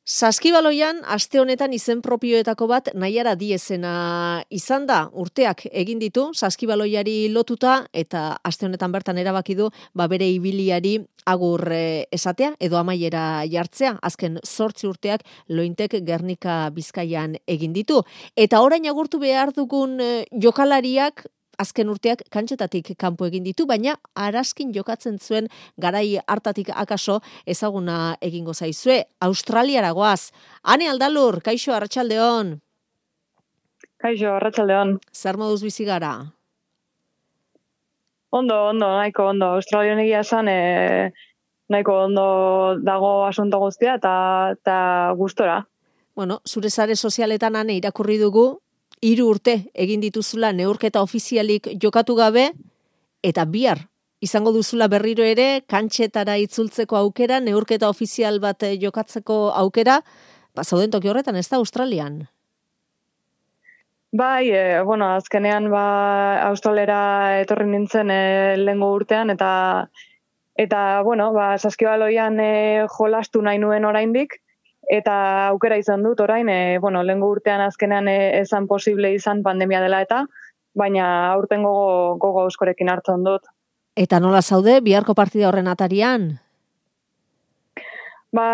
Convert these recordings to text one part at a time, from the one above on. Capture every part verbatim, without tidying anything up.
Saskibaloian, aste honetan izen propioetako bat Naiara Diezena izan da. Urteak egin ditu Saskibaloiari lotuta eta aste honetan bertan erabaki du ba bere ibiliari agur esatea edo amaiera jartzea. Azken zortzi urteak Lointek Gernika Bizkaian egin ditu. Eta orain agurtu behar dugun jokalariak azken urteak kantxetatik kanpo egin ditu, baina araskin jokatzen zuen garai hartatik akaso ezaguna egingo zaizue. Australiara goaz. Ane Aldalur, kaixo, arratsaldeon. Kaixo, arratsaldeon. Zer moduz bizi gara? Ondo, ondo, nahiko ondo. Australian egia esan, e, nahiko ondo dago asunto guztia eta, eta gustora. Bueno, zure sare sozialetan ane irakurri dugu, hiru urte egin dituzula neurketa ofizialik jokatu gabe, eta bihar izango duzula berriro ere, kantxetara itzultzeko aukera, neurketa ofizial bat jokatzeko aukera, ba, zauden toki horretan, ez da Australian? Bai, e, bueno, azkenean ba, Australera etorri nintzen e, lehengo urtean, eta, eta bueno, ba, Saskibaloian e, jolastu nahi nuen oraindik, eta aukera izan dut orain, e, bueno, lehengo urtean azkenean e, ezan posible izan pandemia dela eta, baina aurten gogo, gogo euskorekin hartzen dut. Eta nola zaude, biharko partida horren atarian? Ba,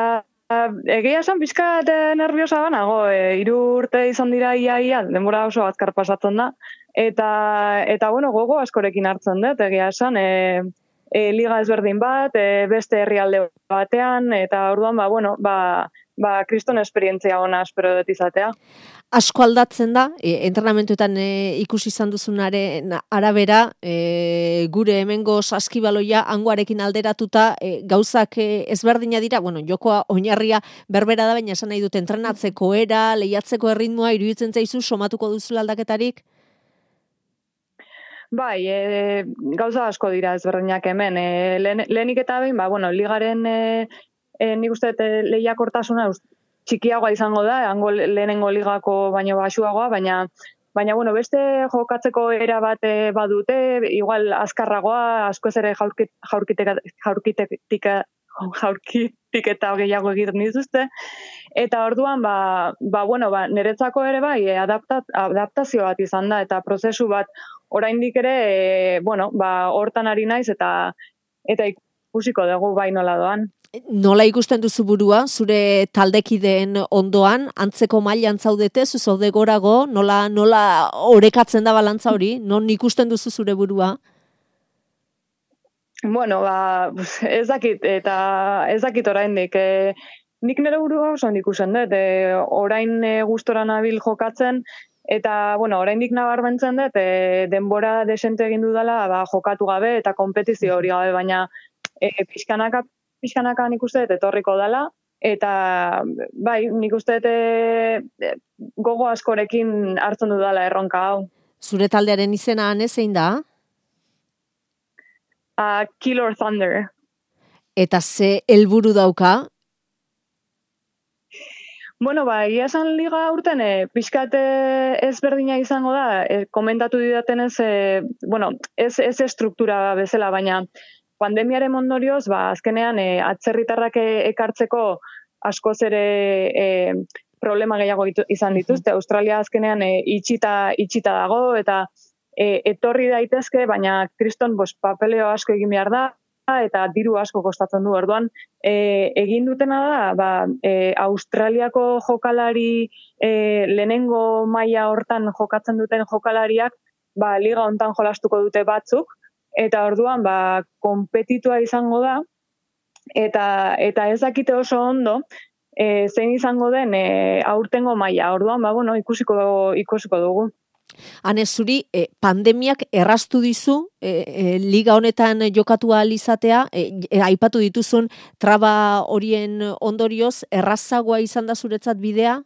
egia esan pixkat nerviosa banago, e, hiru urte izan dira ia ia, denbora oso azkar pasatzen da, eta, eta bueno, gogo askorekin hartzen dut, egia esan, e, e, liga ezberdin bat, e, beste herrialde batean, eta orduan, ba, bueno, ba, ba, kriston esperientzia ona espero dut izatea. Asko aldatzen da, e, entrenamentuetan e, ikusi izan duzunaren arabera, e, gure hemengo Saskibaloia hangoarekin alderatuta e, gauzak e, ezberdina dira, bueno, jokoa oinarria berbera da, baina esan nahi dut entrenatzeko era, lehiatzeko erritmoa, iruditzen zaizu, somatuko duzula aldaketarik? Bai, e, gauza asko dira ezberdinak hemen. E, lehen, lehenik eta behin, ba, bueno, ligaren e, e, nik uste e, lehiakortasuna txikiagoa izango da, hango lehenengo ligako baino basuagoa, baina baina bueno, beste jokatzeko era bat e, badute, igual azkarragoa, askoz ere jaurkitek jaurkitek jaurkitik eta gehiago egiten dituzte. Eta orduan, ba, ba, bueno, ba, niretzako ere bai, adapta, adaptazio bat izan da, eta prozesu bat oraindik ere, e, bueno, ba, hortan ari naiz, eta eta ikusiko dugu bai nola doan. Nola ikusten duzu burua, zure taldekideen ondoan, antzeko mailan zaudete, zu zaude gorago, nola, nola orekatzen da balantza hori, non ikusten duzu zure burua? Bueno, ba, ez dakit, eta ez dakit oraindik, e, nik nire burua oso ikusten dut, e, orain e, gustora nabil jokatzen, eta, bueno, oraindik nabarmentzen dut, e, denbora desente egin dudala, ba, jokatu gabe, eta konpetizio hori gabe, baina e, pixkanaka, pixkanaka nik uste dut etorriko dela, eta bai, nik uste dut e, gogo askorekin hartzen dudala erronka hau. Zure taldearen izena ane zein da? Uh, Killer Thunder. Eta ze helburu dauka? Bueno, ba, egia esan liga urten, e, pixkat ezberdina izango da, e, komentatu didatenez, e, bueno, ez, ez estruktura bezala, baina pandemiaren ondorioz, ba, azkenean, e, atzerritarrak ekartzeko askoz ere e, problema gehiago izan dituzte. Australia azkenean e, itxita, itxita dago, eta e, etorri daitezke, baina kriston bos, papeleo asko egin behar da, eta diru asko kostatzen du. Orduan, e, egin dutena da, ba, e, Australiako jokalari e, lehenengo maila hortan jokatzen duten jokalariak, ba, liga hontan jolastuko dute batzuk, eta orduan, ba, konpetitua izango da, eta, eta ez dakite oso ondo, e, zein izango den e, aurtengo maila. Orduan, ba, bueno, ikusiko, ikusiko dugu. Hane, zuri, eh, pandemiak erraztu dizu, eh, eh, liga honetan jokatu ahal izatea, eh, eh, aipatu dituzun traba horien ondorioz, errazagoa izan da zuretzat bidea?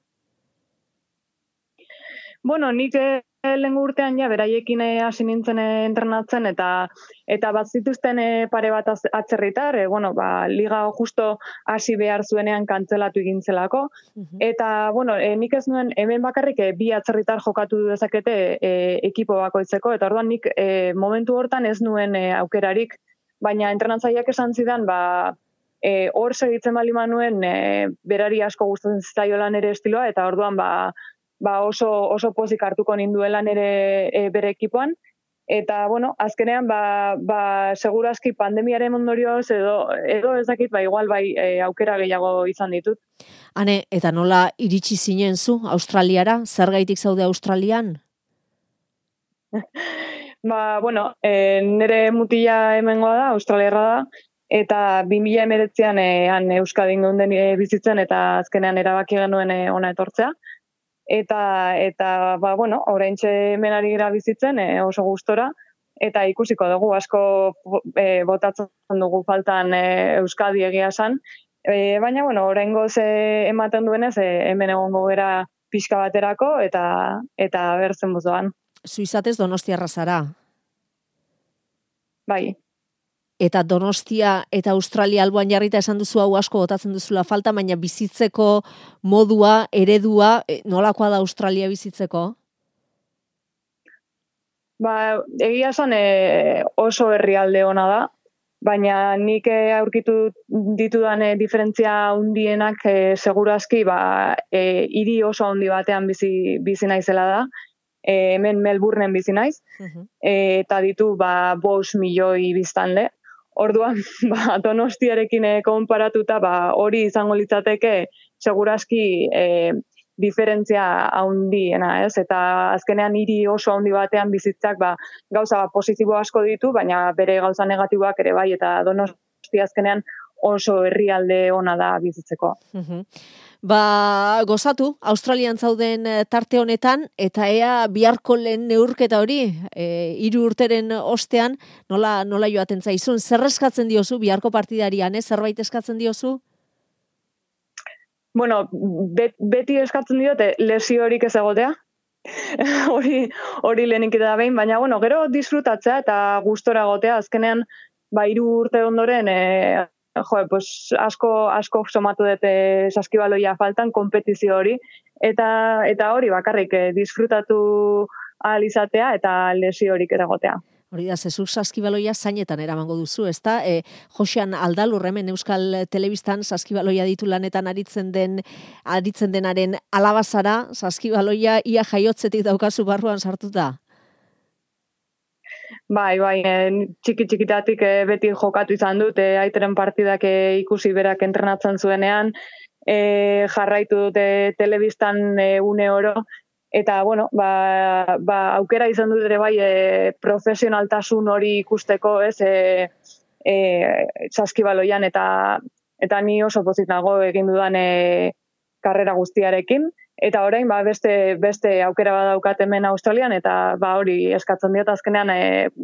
Bueno, nik eh, lehengo urtean ja, beraiekin hasi nintzen eh, entrenatzen, eta eta bat zituzten eh, pare bat atzerritar, eh, bueno, ba, liga justo hasi behar zuenean kantzelatu egintzelako, uh-huh. Eta, bueno, eh, nik ez nuen, hemen bakarrik eh, bi atzerritar jokatu dezakete eh, ekipo bakoitzeko, eta orduan nik eh, momentu hortan ez nuen eh, aukerarik, baina entrenatzaileak esan zidan, ba, e, hor segitzen bali manuen e, berari asko gustatzen zitzaiola nere estiloa, eta orduan ba, ba oso, oso pozik hartuko ninduela nere e, bere ekipoan. Eta, bueno, azkenean, ba, ba, segurazki pandemiaren ondorioz, edo, edo ez dakit, ba, igual bai e, aukera gehiago izan ditut. Hane, eta nola iritsi zinen zu Australiara? Zergaitik zaude Australian? Ba, bueno, e, nire mutila hemengoa da, australiarra da, eta bi mila hemeretzian e, han Euskadin geunden e, bizitzen, eta azkenean erabaki genuen e, ona etortzea. Eta, eta ba, bueno, oraintxe hemen ari gara bizitzen e, oso gustora, eta ikusiko dugu asko e, botatzen dugu faltan e, Euskadi egia esan. E, baina, bueno, oraingoz e, ematen duenez, e, hemen egongo gera pixka baterako, eta eta bertzen buzoan. Suizatez Donostiarra zara. Bai. Eta Donostia eta Australia alboan jarrita esan duzu hau asko botatzen duzula falta, baina bizitzeko modua, eredua, nolakoa da Australia bizitzeko? Ba, egia esan e, oso herrialde ona da, baina nik aurkitu ditudan e, diferentzia handienak e, segurazki ba, e, hiri oso handi batean bizi, bizi naizela da. E, hemen Melbourneen bizi naiz, uh-huh. e, eta ditu ba, bost milioi biztanle. Orduan, ba, Donostiarekin e, konparatuta, ba, hori izango litzateke segurazki e, diferentzia handiena, ez? Eta azkenean hiri oso handi batean bizitzak ba, gauza positibo asko ditu, baina bere gauza negatiboak ere bai, eta Donostia azkenean oso herrialde ona da bizitzeko. Uh-huh. Ba, gozatu, Australian zauden tarte honetan, eta ea biharko lehen neurketa hori, e, hiru urteren ostean, nola, nola joaten zaizun, zer eskatzen diozu biharko partidarian, eh? Zerbait eskatzen diozu? Bueno, bet, beti eskatzen diote lesiorik ez egotea, hori hori lehenik da behin, baina bueno, gero disfrutatzea eta gustora egotea, azkenean, ba, hiru urte ondoren, e, jo, pues, asko, asko somatu dute saskibaloia faltan, konpetizio hori, eta, eta hori bakarrik eh, disfrutatu ahal izatea eta lesiorik egotea. Hori da, zezuk saskibaloia zainetan eramango duzu, ezta? E, Josean Aldalur hemen Euskal Telebistan saskibaloia ditu lanetan aritzen den aritzen denaren alabazara, saskibaloia ia jaiotzetik daukazu barruan sartuta? Bai, bai, txiki-txikitatik e, beti jokatu izan dut, e, aiteren partidak e, ikusi berak entrenatzen zuenean, e, jarraitu dute telebistan e, une oro, eta, bueno, ba, ba, aukera izan dut ere bai e, profesionaltasun hori ikusteko, ez, e, e, saskibaloian, eta, eta ni oso pozik nago egin dudan e, karrera guztiarekin, eta orain ba, beste, beste aukera badaukat hemen Australian, eta ba, hori eskatzen diot azkenean e,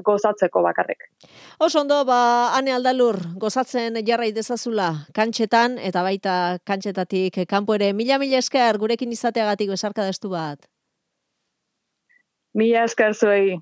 gozatzeko bakarrik. Oso ondo, ba, Ane Aldalur, gozatzen jarrai dezazula kantxetan, eta baita kantxetatik kanpo ere. Mila mila esker gurekin izateagatik besarka destu bat. Mila esker zuei.